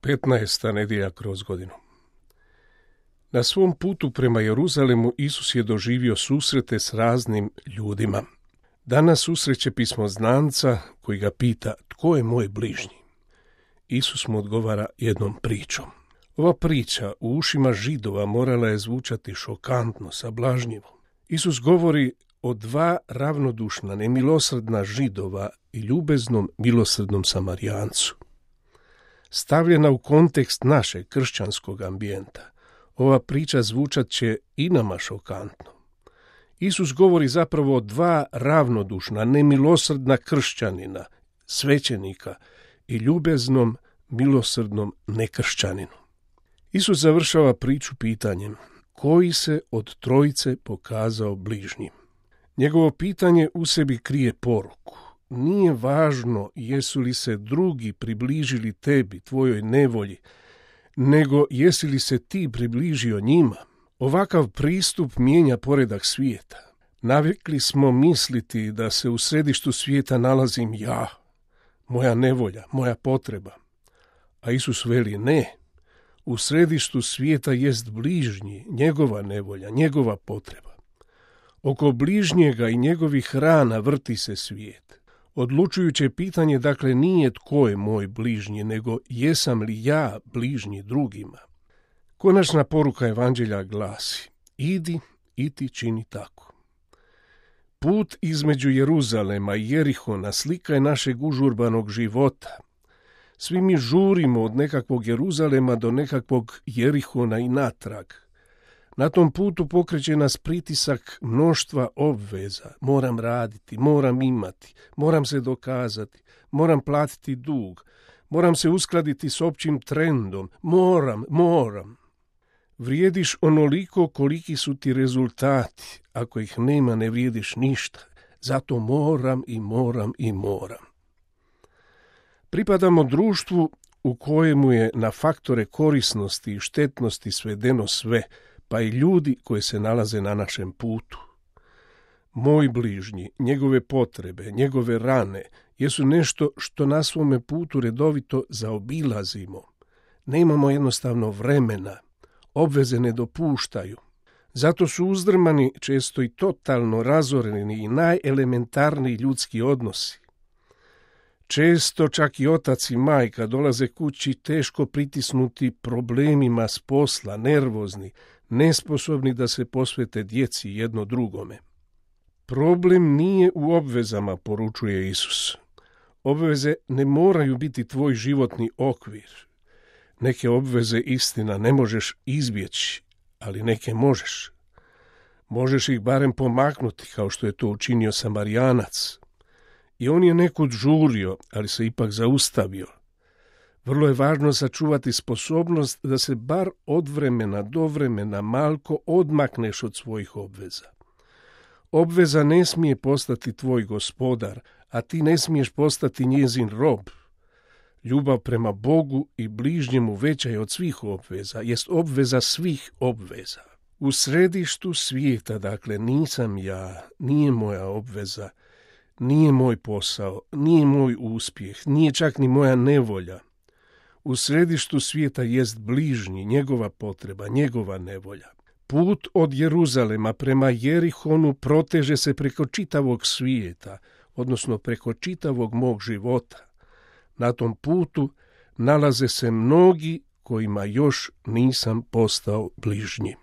15. nedjelja kroz godinu. Na svom putu prema Jeruzalemu Isus je doživio susrete s raznim ljudima. Danas susreće pismoznanca koji ga pita tko je moj bližnji. Isus mu odgovara jednom pričom. Ova priča u ušima Židova morala je zvučati šokantno, sablažnjivo. Isus govori o dva ravnodušna, nemilosrdna Židova i ljubeznom, milosrdnom Samarijancu. Stavljena u kontekst našeg kršćanskog ambijenta, ova priča zvučat će i nama šokantno. Isus govori zapravo o dva ravnodušna, nemilosrdna kršćanina, svećenika i ljubeznom, milosrdnom nekršćaninu. Isus završava priču pitanjem: koji se od trojice pokazao bližnjim? Njegovo pitanje u sebi krije poruku. Nije važno jesu li se drugi približili tebi, tvojoj nevolji, nego jesi li se ti približio njima. Ovakav pristup mijenja poredak svijeta. Navikli smo misliti da se u središtu svijeta nalazim ja, moja nevolja, moja potreba. A Isus veli ne. U središtu svijeta jest bližnji, njegova nevolja, njegova potreba. Oko bližnjega i njegovih rana vrti se svijet. Odlučujuće pitanje dakle nije tko je moj bližnji, nego jesam li ja bližnji drugima. Konačna poruka evanđelja glasi: idi i ti čini tako. Put između Jeruzalema i Jerihona slika je našeg užurbanog života. Svi mi žurimo od nekakvog Jeruzalema do nekakvog Jerihona i natrag. Na tom putu pokreće nas pritisak mnoštva obveza. Moram raditi, moram imati, moram se dokazati, moram platiti dug, moram se uskladiti s općim trendom, moram. Vrijediš onoliko koliki su ti rezultati. Ako ih nema, ne vrijediš ništa. Zato moram. Pripadamo društvu u kojemu je na faktore korisnosti i štetnosti svedeno sve, pa i ljudi koji se nalaze na našem putu. Moj bližnji, njegove potrebe, njegove rane jesu nešto što na svome putu redovito zaobilazimo. Nemamo jednostavno vremena, obveze ne dopuštaju. Zato su uzdrmani često i totalno razoreni i najelementarniji ljudski odnosi. Često čak i otac i majka dolaze kući teško pritisnuti problemima s posla, nervozni, nesposobni da se posvete djeci jedno drugome. Problem nije u obvezama, poručuje Isus. Obveze ne moraju biti tvoj životni okvir. Neke obveze, istina, ne možeš izbjeći, ali neke možeš. Možeš ih barem pomaknuti, kao što je to učinio Samarijanac. I on je nekud žurio, ali se ipak zaustavio. Vrlo je važno sačuvati sposobnost da se bar od vremena do vremena malko odmakneš od svojih obveza. Obveza ne smije postati tvoj gospodar, a ti ne smiješ postati njezin rob. Ljubav prema Bogu i bližnjemu veća je od svih obveza, jest obveza svih obveza. U središtu svijeta, dakle, nisam ja, nije moja obveza, nije moj posao, nije moj uspjeh, nije čak ni moja nevolja. U središtu svijeta jest bližnji, njegova potreba, njegova nevolja. Put od Jeruzalema prema Jerihonu proteže se preko čitavog svijeta, odnosno preko čitavog mog života. Na tom putu nalaze se mnogi kojima još nisam postao bližnji.